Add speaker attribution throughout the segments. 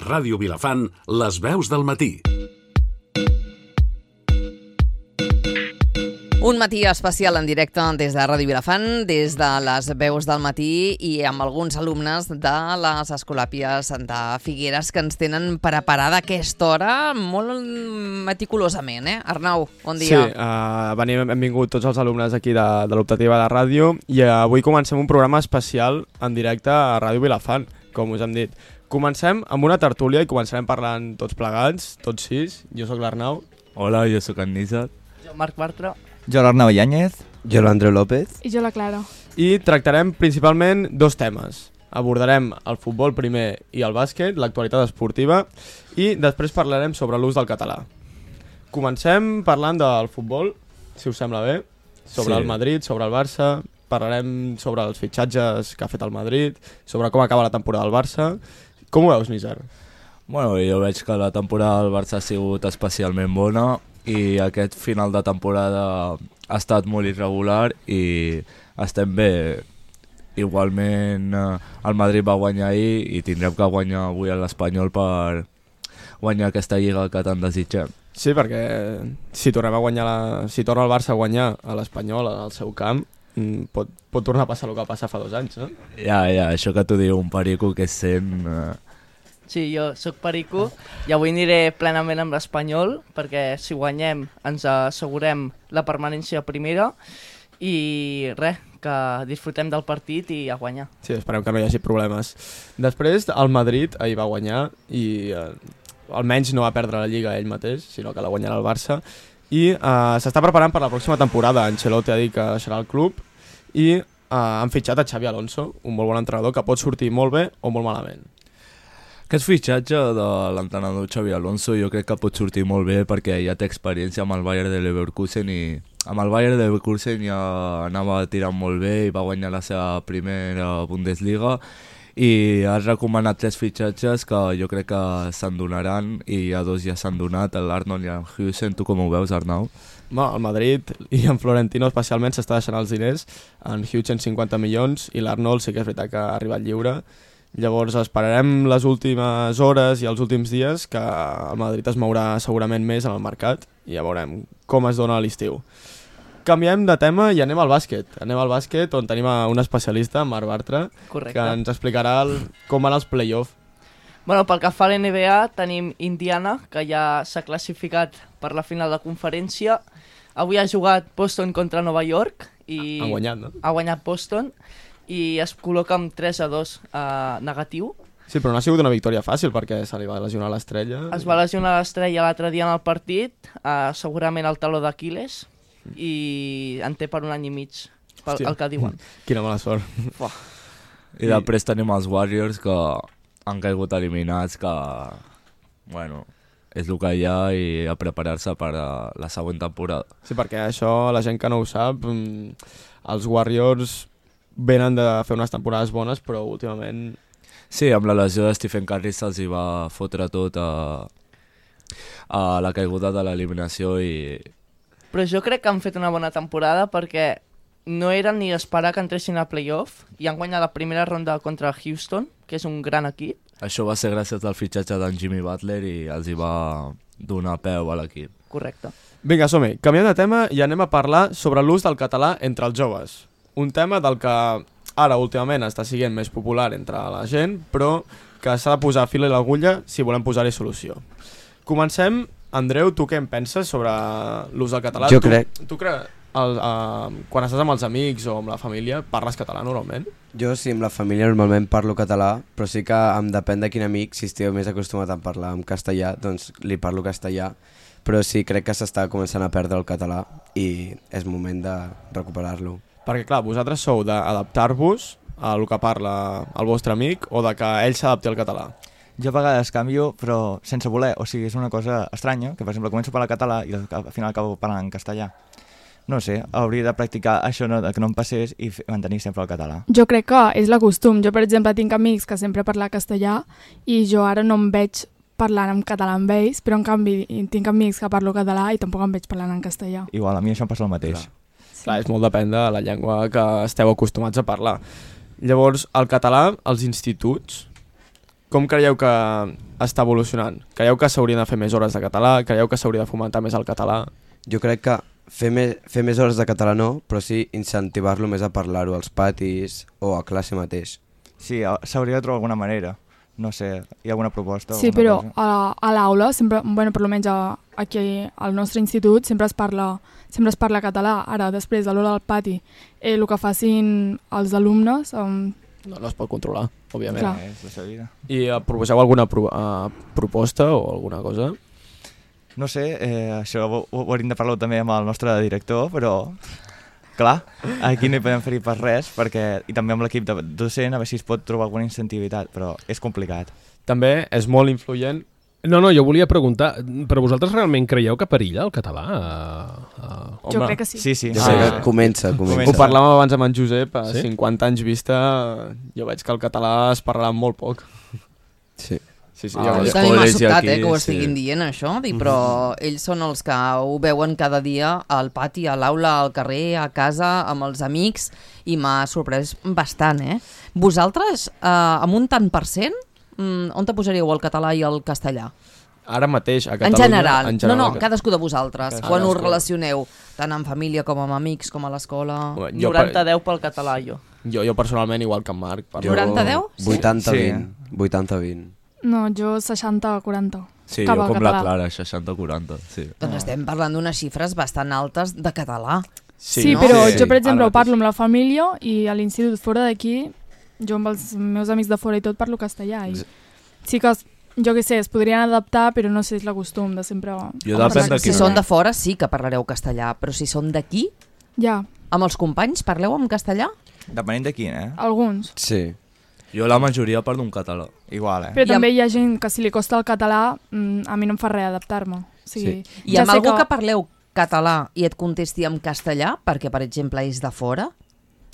Speaker 1: Ràdio Vilafant, les veus del matí.
Speaker 2: Un matí especial en directe des de Ràdio Vilafant, des de les veus del matí i amb alguns alumnes de les Escolàpies de Figueres que ens tenen preparada aquesta hora molt meticulosament, Arnau, bon dia.
Speaker 3: Sí, hem vingut tots els alumnes aquí de l'optativa de ràdio i avui comencem un programa especial en directe a Ràdio Vilafant, com us hem dit. Comencem amb una tertúlia i començarem parlant tots plegats, tots sis. Jo sóc l'Arnau.
Speaker 4: Hola, jo sóc en Nizar.
Speaker 5: Jo, Marc Bartra.
Speaker 6: Jo, l'Arnau Yáñez.
Speaker 7: Jo, l'Andreu López.
Speaker 8: I jo, la Clara.
Speaker 3: I tractarem principalment dos temes. Abordarem el futbol primer i el bàsquet, l'actualitat esportiva, i després parlarem sobre l'ús del català. Comencem parlant del futbol, si us sembla bé, sobre el Madrid, sobre el Barça. Parlarem sobre els fitxatges que ha fet el Madrid, sobre com acaba la temporada del Barça. Com ho veus, Nizar?
Speaker 4: Bueno, jo veig que la temporada del Barça ha sigut especialment bona i aquest final de temporada ha estat molt irregular i estem bé. Igualment el Madrid va guanyar ahir i tindrem que guanyar avui a l'Espanyol per guanyar aquesta lliga que tant desitgem.
Speaker 3: Sí, perquè si torna el Barça a guanyar a l'Espanyol al seu camp, pot tornar a passar el que va passar fa 2 anys, no?
Speaker 4: Ja, això que t'ho diu un perico que és sent...
Speaker 5: Sí, jo sóc perico i avui aniré plenament amb l'Espanyol perquè si guanyem ens assegurem la permanència a primera i res, que disfrutem del partit i a guanyar.
Speaker 3: Sí, esperem que no hi hagi problemes. Després, el Madrid ahir va guanyar i almenys no va perdre la Lliga ell mateix, sinó que la guanyarà el Barça. I s'està preparant per la pròxima temporada. Ancelotti ha dit que deixarà el club i han fitxat a Xavi Alonso, un molt bon entrenador que pot sortir molt bé o molt malament.
Speaker 4: Aquest fitxatge de l'entrenador Xavi Alonso jo crec que pot sortir molt bé perquè ja té experiència amb el Bayern de Leverkusen i amb el Bayern de Leverkusen ja anava tirant molt bé i va guanyar la seva primera Bundesliga i has recomanat 3 fitxatges que jo crec que se'n donaran i ja 2 ja s'han donat, l'Arnold i el Huijsen. Tu com ho veus, Arnau?
Speaker 3: El Madrid i en Florentino especialment s'està deixant els diners, en Huijsen 50 milions i l'Arnold sí que és veritat que ha arribat lliure. Llavors esperarem les últimes hores i els últims dies que el Madrid es mourà segurament més en el mercat i ja veurem com es dona l'estiu. Canviem de tema i anem al bàsquet. Anem al bàsquet on tenim un especialista, Marc Bartra,
Speaker 5: Correcte.
Speaker 3: Que ens explicarà com van els play-off.
Speaker 5: Bueno, pel que fa a l'NBA tenim Indiana, que ja s'ha classificat per la final de conferència. Avui ha jugat Boston contra Nova York i
Speaker 3: Han guanyat, no?
Speaker 5: Ha guanyat Boston i es col·loca amb 3-2 negatiu.
Speaker 3: Sí, però no ha sigut una victòria fàcil perquè se li va lesionar l'estrella.
Speaker 5: Es va lesionar l'estrella l'altre dia en el partit, segurament el taló d'Aquiles, i en té per 1 any i mig, el que diuen.
Speaker 3: Quina mala sort.
Speaker 4: I després tenim els Warriors que han caigut eliminats, que bueno, és el que hi ha i a preparar-se per a la següent temporada.
Speaker 3: Sí, perquè això, la gent que no ho sap, els Warriors venen de fer unes temporades bones, però últimament...
Speaker 4: Sí, amb la lesió de Stephen Curry se'ls hi va fotre tot a la caiguda de l'eliminació i...
Speaker 5: Però jo crec que han fet una bona temporada perquè no eren ni d'esperar que entressin a playoff i han guanyat la primera ronda contra Houston, que és un gran equip.
Speaker 4: Això va ser gràcies al fitxatge d'en Jimmy Butler i els hi va donar peu a l'equip.
Speaker 5: Correcte.
Speaker 3: Vinga, som-hi. Canviem de tema i anem a parlar sobre l'ús del català entre els joves. Un tema del que ara últimament està sent més popular entre la gent, però que s'ha de posar fil a l'agulla si volem posar-hi solució. Comencem. Andreu, tu què en penses sobre l'ús del català?
Speaker 7: Jo crec...
Speaker 3: Tu quan estàs amb els amics o amb la família, parles català normalment?
Speaker 7: Jo sí, amb la família normalment parlo català, però sí que em depèn de quin amic, si esteu més acostumat a parlar en castellà, doncs li parlo castellà, però sí, crec que s'està començant a perdre el català i és moment de recuperar-lo.
Speaker 3: Perquè clar, vosaltres sou d'adaptar-vos a el que parla el vostre amic o de que ell s'adapti al català?
Speaker 6: Jo a vegades canvio, però sense voler, o sigui, és una cosa estranya, que per exemple començo a parlar català i al final acabo parlant en castellà. No sé, hauria de practicar això, que no em passés i mantenir sempre el català.
Speaker 8: Jo crec que és la costum. Jo, per exemple, tinc amics que sempre parlen castellà i jo ara no em veig parlant en català amb ells, però en canvi tinc amics que parlo català i tampoc em veig parlant en castellà.
Speaker 6: Igual, a mi això em passa el mateix.
Speaker 3: Clar, és molt depèn de la llengua que esteu acostumats a parlar. Llavors, el català, als instituts, Com creieu que està evolucionant? Creieu que s'haurien de fer més hores de català? Creieu que s'hauria de fomentar més el català?
Speaker 7: Jo crec que fer més hores de català no, però sí incentivar-lo més a parlar-ho als patis o a classe mateix.
Speaker 6: Sí, s'hauria de trobar alguna manera. No sé, hi ha alguna proposta?
Speaker 8: Sí, però a l'aula, sempre, bueno, per almenys aquí al nostre institut, sempre es parla català. Ara, després, a l'hora del pati, el que facin els alumnes...
Speaker 3: No es pot controlar, òbviament.
Speaker 8: Clar.
Speaker 6: És la seva vida.
Speaker 3: I proposeu alguna proposta o alguna cosa?
Speaker 6: No sé, això ho hauríem de parlar també amb el nostre director, però clar, aquí no hi podem fer-hi pas res, i també amb l'equip docent a veure si es pot trobar alguna incentivitat, però és complicat.
Speaker 3: També és molt influent.
Speaker 9: No, jo volia preguntar, però vosaltres realment creieu que perilla el català?
Speaker 8: Jo crec que sí.
Speaker 6: Sí.
Speaker 7: Comença.
Speaker 3: Ho parlàvem abans amb en Josep, a
Speaker 9: Sí?
Speaker 3: 50 anys vista, jo veig que el català es parlarà molt poc.
Speaker 7: Sí.
Speaker 3: Sí,
Speaker 2: A mi m'ha sobtat que ho estiguin dient, això, però ells són els que ho veuen cada dia al pati, a l'aula, al carrer, a casa, amb els amics, i m'ha sorprès bastant, Vosaltres, amb un tant per cent, on te posaríeu el català i el castellà?
Speaker 3: Ara mateix, a
Speaker 2: En
Speaker 3: Catalunya...
Speaker 2: general. No, cadascú de vosaltres. Quan us relacioneu, tant en família com amb amics, com a l'escola...
Speaker 5: 90-10 pel català, jo.
Speaker 3: Jo personalment, igual que en Marc.
Speaker 2: 90-10?
Speaker 7: 80-20. 80-20.
Speaker 8: No, jo 60-40.
Speaker 4: Sí,
Speaker 8: Cap
Speaker 4: jo
Speaker 8: al
Speaker 4: com
Speaker 8: català.
Speaker 4: la Clara, 60-40, sí.
Speaker 2: Doncs estem parlant d'unes xifres bastant altes de català.
Speaker 8: Sí,
Speaker 2: no?
Speaker 8: però
Speaker 3: Sí.
Speaker 8: jo, per exemple,
Speaker 3: Ara
Speaker 8: ho parlo amb la família i a l'institut fora d'aquí, jo amb els meus amics de fora i tot parlo castellà. I sí que, jo què sé, es podrien adaptar, però no sé, és la costum de sempre...
Speaker 4: Jo depèn de
Speaker 2: Si
Speaker 4: quin...
Speaker 2: són de fora sí que parlareu castellà, però si són d'aquí,
Speaker 8: Ja,
Speaker 2: amb els companys, parleu en castellà?
Speaker 6: Depenent de quin,
Speaker 8: alguns.
Speaker 7: Sí.
Speaker 4: Jo la majoria parlo en català.
Speaker 6: Igual,
Speaker 8: Però
Speaker 2: I
Speaker 8: també hi ha gent que si li costa el català, a mi no em fa res adaptar-me. O sigui,
Speaker 2: I amb algú que parleu català i et contesti en castellà, perquè, per exemple, és de fora?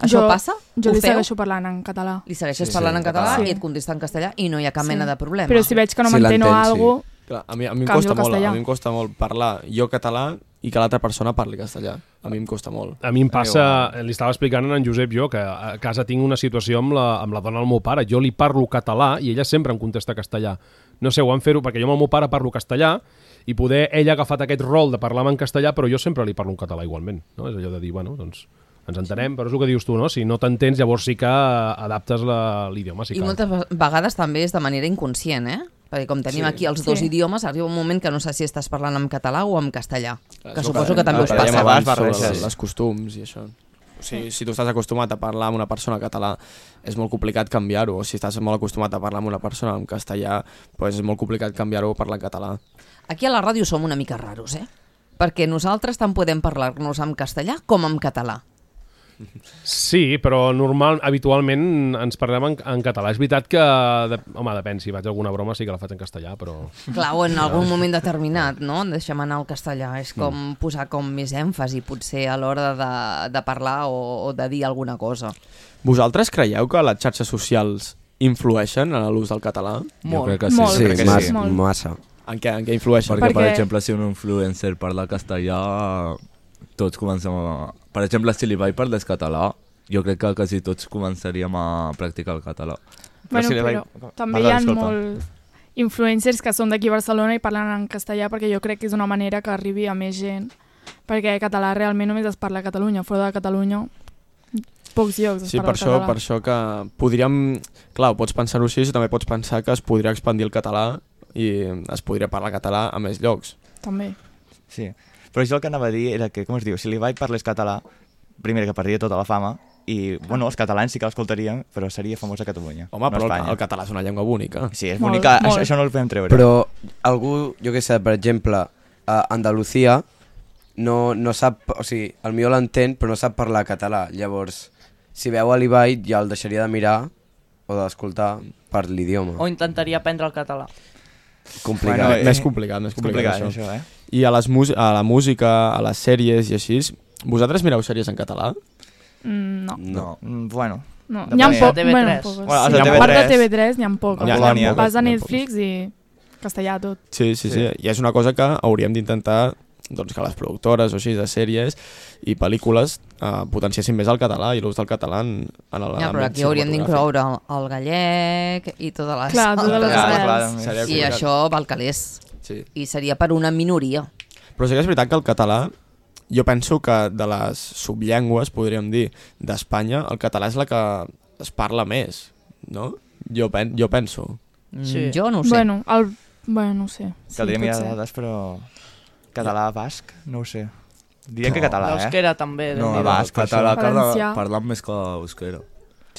Speaker 2: Això passa?
Speaker 8: Jo
Speaker 2: Ho
Speaker 8: li
Speaker 2: feu?
Speaker 8: segueixo parlant en català.
Speaker 2: Li segueixes parlant en català
Speaker 8: Sí.
Speaker 2: i et contesta en castellà i no hi ha cap mena de problema.
Speaker 8: Però si veig que no
Speaker 7: Si
Speaker 8: m'entén o
Speaker 7: l'entens,
Speaker 8: alguna cosa...
Speaker 3: Clar, a mi em
Speaker 8: Canvio
Speaker 3: costa
Speaker 8: al
Speaker 3: molt,
Speaker 8: castellà.
Speaker 3: a mi em costa molt parlar jo català i que l'altra persona parli castellà. A mi em costa molt.
Speaker 9: A mi em passa, li estava explicant a en Josep jo, que a casa tinc una situació amb la dona del meu pare. Jo li parlo català i ella sempre em contesta castellà. No sé, ho van fer-ho perquè jo amb el meu pare parlo castellà i poder ella ha agafat aquest rol de parlar en castellà, però jo sempre li parlo en català igualment. No? És allò de dir, bueno, doncs ens entenem, però és el que dius tu, no? Si no t'entens, llavors sí que adaptes l'idioma. Sí
Speaker 2: I
Speaker 9: que...
Speaker 2: moltes vegades també és de manera inconscient, Perquè com tenim aquí els dos idiomes, arriba un moment que no sé si estàs parlant en català o en castellà. Que suposo que també us
Speaker 3: Parlem
Speaker 2: passa.
Speaker 3: abans
Speaker 6: barreges.
Speaker 3: sobre les costums i això. O sigui, si tu estàs acostumat a parlar amb una persona català, és molt complicat canviar-ho. O si estàs molt acostumat a parlar amb una persona en castellà, doncs és molt complicat canviar-ho a parlar en català.
Speaker 2: Aquí a la ràdio som una mica raros, Perquè nosaltres tant podem parlar-nos en castellà com en català.
Speaker 9: Sí, però habitualment ens parlem en català. És veritat que, home, depèn, si faig alguna broma sí que la faig en castellà, però...
Speaker 2: Clar, o en algun moment determinat, no? Deixem anar el castellà. És com posar com més èmfasi, potser, a l'hora de parlar o de dir alguna cosa.
Speaker 3: Vosaltres creieu que les xarxes socials influeixen en l'ús del català?
Speaker 4: Jo crec que sí.
Speaker 8: Molt.
Speaker 7: Sí,
Speaker 6: crec que
Speaker 7: massa.
Speaker 6: sí.
Speaker 7: massa.
Speaker 3: En què influeixen?
Speaker 4: Perquè, per
Speaker 8: Perquè-
Speaker 4: exemple, si un influencer parla castellà, tots comencem a... Per exemple, si l'Ibai parlés català, jo crec que quasi tots començaríem a practicar el català.
Speaker 8: Bueno,
Speaker 6: si li
Speaker 8: però
Speaker 6: vaig-
Speaker 8: també
Speaker 6: Perdó,
Speaker 8: hi ha
Speaker 6: disculpa.
Speaker 8: molts influencers que són d'aquí a Barcelona i parlen en castellà perquè jo crec que és una manera que arribi a més gent, perquè català realment només es parla a Catalunya, fora de Catalunya pocs llocs es
Speaker 3: Sí,
Speaker 8: parla
Speaker 3: per
Speaker 8: català.
Speaker 3: això que podríem... Clar, pots pensar-ho així, també pots pensar que es podria expandir el català i es podria parlar català a més llocs.
Speaker 8: També.
Speaker 6: Sí. Però jo el que anava a dir era que, com es diu, si l'Ibai parlés català, primer que perdria tota la fama, i, bueno, els catalans sí que l'escoltarien, però seria famós a Catalunya,
Speaker 3: Home,
Speaker 6: no a
Speaker 3: però
Speaker 6: Espanya.
Speaker 3: el català és una llengua bonica.
Speaker 6: Sí, és
Speaker 8: Molt,
Speaker 6: bonica,
Speaker 8: molt.
Speaker 6: això no el podem treure.
Speaker 7: Però algú, jo què sé, per exemple, a Andalucía no sap, o sigui, el millor l'entén però no sap parlar català, llavors si veu a l'Ibai ja el deixaria de mirar o d'escoltar per l'idioma.
Speaker 5: O intentaria aprendre el català.
Speaker 7: Complicat.
Speaker 6: Bueno,
Speaker 3: Més complicat
Speaker 6: complicat
Speaker 3: això.
Speaker 6: això,
Speaker 3: I a la música, a les sèries i així, vosaltres mireu sèries en català?
Speaker 8: No.
Speaker 7: No.
Speaker 6: Bueno,
Speaker 8: No.
Speaker 6: Depèn.
Speaker 8: N'hi ha poc,
Speaker 5: TV3.
Speaker 8: bueno, poques.
Speaker 6: Bueno,
Speaker 8: Sí,
Speaker 6: els de
Speaker 8: a part de
Speaker 6: TV3,
Speaker 8: TV3 n'hi ha poques.
Speaker 6: a Polònia.
Speaker 8: Vas a
Speaker 3: N'hi ha
Speaker 8: Netflix i castellà tot.
Speaker 3: Sí. I és una cosa que hauríem d'intentar doncs, que les productores o així de sèries i pel·lícules potenciessin més el català i l'ús del català en l'àmbit
Speaker 2: però aquí hauríem d'incloure el gallec i totes les...
Speaker 8: Clar, totes les
Speaker 3: Seria
Speaker 2: I això val calés.
Speaker 3: Sí.
Speaker 2: I seria per una minoria.
Speaker 3: Però sí que és veritat que el català, jo penso que de les subllengües, podríem dir, d'Espanya, el català és la que es parla més, no? Jo penso.
Speaker 5: Sí.
Speaker 2: Jo no ho sé.
Speaker 8: Bueno, no ho sé.
Speaker 6: Caldria mirar dades, però català basc, no ho sé. Diria que català,
Speaker 5: L'euskera també.
Speaker 4: No,
Speaker 6: basc,
Speaker 4: català
Speaker 8: Valencià.
Speaker 4: parlant més que euskera.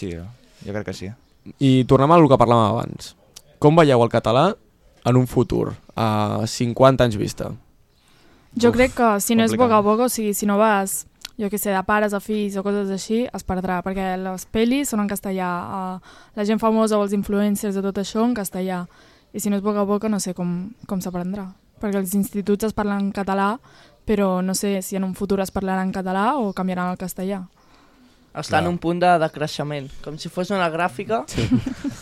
Speaker 6: Sí, jo crec que sí.
Speaker 3: I tornem al que parlàvem abans. Com veieu el català en un futur, a 50 anys vista?
Speaker 8: Jo crec que si no és boca a
Speaker 6: complicat.
Speaker 8: boca, o sigui, si no vas, jo què sé, de pares a fills o coses així, es perdrà, perquè les pel·lis són en castellà, la gent famosa o els influencers de tot això en castellà, i si no és boca a boca no sé com s'aprendrà, perquè els instituts es parlen en català, però no sé si en un futur es parlarà en català o canviaran al castellà.
Speaker 5: Està en un punt de decreixement, com si fos una gràfica,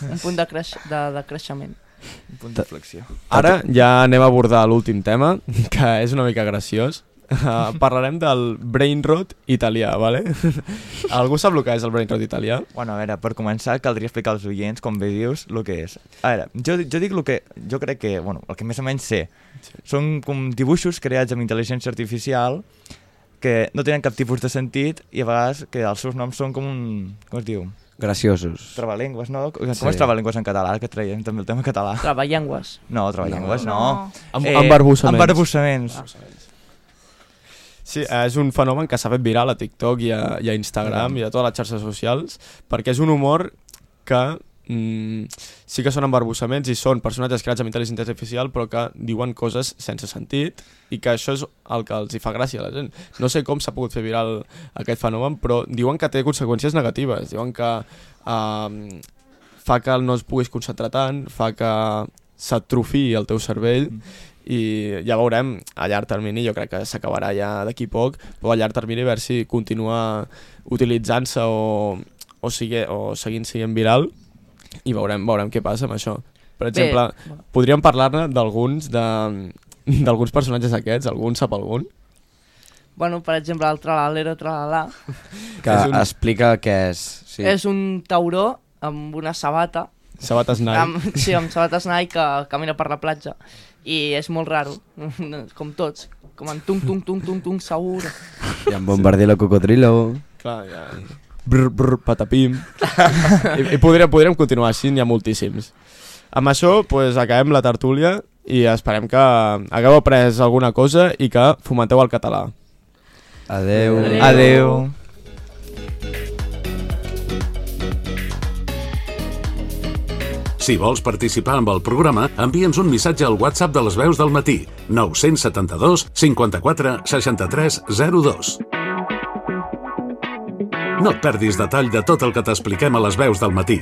Speaker 5: un punt de creixement.
Speaker 6: Un punt d'inflexió.
Speaker 3: Ara ja anem a abordar l'últim tema, que és una mica graciós. Parlarem del brain rot italià, ¿vale? Algú sap el que és el brain rot italià?
Speaker 6: Bueno, a veure, per començar caldria explicar als oients, com bé dius, el que és. A veure, jo dic el que... Jo crec que, bueno, el que més o menys sé, són com dibuixos creats amb intel·ligència artificial que no tenen cap tipus de sentit i a vegades que els seus noms són com un... Com es diu?
Speaker 7: Graciosos.
Speaker 6: Trabalengües, no? Com és trabalengües en català? Que traiem també el tema català.
Speaker 5: Traballengues.
Speaker 6: No, traballengues no.
Speaker 3: Embarbussaments.
Speaker 6: Embarbussaments.
Speaker 3: Sí, és un fenomen que s'ha fet viral a TikTok i a Instagram i a totes les xarxes socials, perquè és un humor que sí que són embarbussaments i són personatges creats amb intel·ligència artificial però que diuen coses sense sentit i que això és el que els hi fa gràcia a la gent. No sé com s'ha pogut fer viral aquest fenomen, però diuen que té conseqüències negatives, diuen que fa que no es puguis concentrar tant, fa que s'atrofiï el teu cervell i ja veurem a llarg termini, jo crec que s'acabarà ja d'aquí poc, però a llarg termini a veure si continua utilitzant-se o seguint sent viral i veurem què passa amb això. Per exemple, podríem parlar-ne d'alguns personatges aquests, algun sap algun?
Speaker 5: Bueno, per exemple, el Tralalero Tralala.
Speaker 7: Que explica què és. Sí.
Speaker 5: És un tauró amb una sabata.
Speaker 3: Sabates Nike.
Speaker 5: Sí, amb sabates Nike que camina per la platja. I és molt raro, com tots. Com en tung, segur.
Speaker 7: I en Bombardilo Cocodrilo.
Speaker 3: Clar, ja... Brr, patapim. I podríem continuar així, n'hi ha moltíssims. Amb això pues, acabem la tertúlia i esperem que hagueu après alguna cosa i que fomenteu el català.
Speaker 7: Adeu.
Speaker 6: Adeu.
Speaker 1: Si vols participar amb el programa, envia'ns un missatge al WhatsApp de les veus del matí, 972 54 63 02. No et perdis detall de tot el que t'expliquem a les veus del matí.